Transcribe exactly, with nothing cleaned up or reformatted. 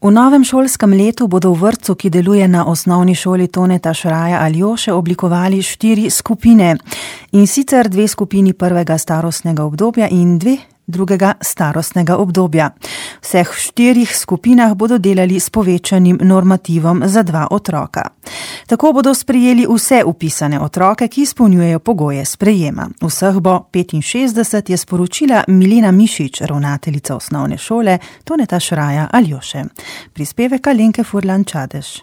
V novem šolskem letu bodo v vrtcu, ki deluje na osnovni šoli Toneta Šraja Aljoše, oblikovali štiri skupine. In sicer dve skupini prvega starostnega obdobja in dve drugega starostnega obdobja. V vseh štirih skupinah bodo delali s povečanim normativom za dva otroka. Tako bodo sprejeli vse vpisane otroke, ki izpolnjujejo pogoje sprejema. Vseh bo petinšestdeset, je sporočila Milena Mišič, ravnateljica osnovne šole Toneta Šraja Aljoše. Prispevek Alenke Furlan Čadež.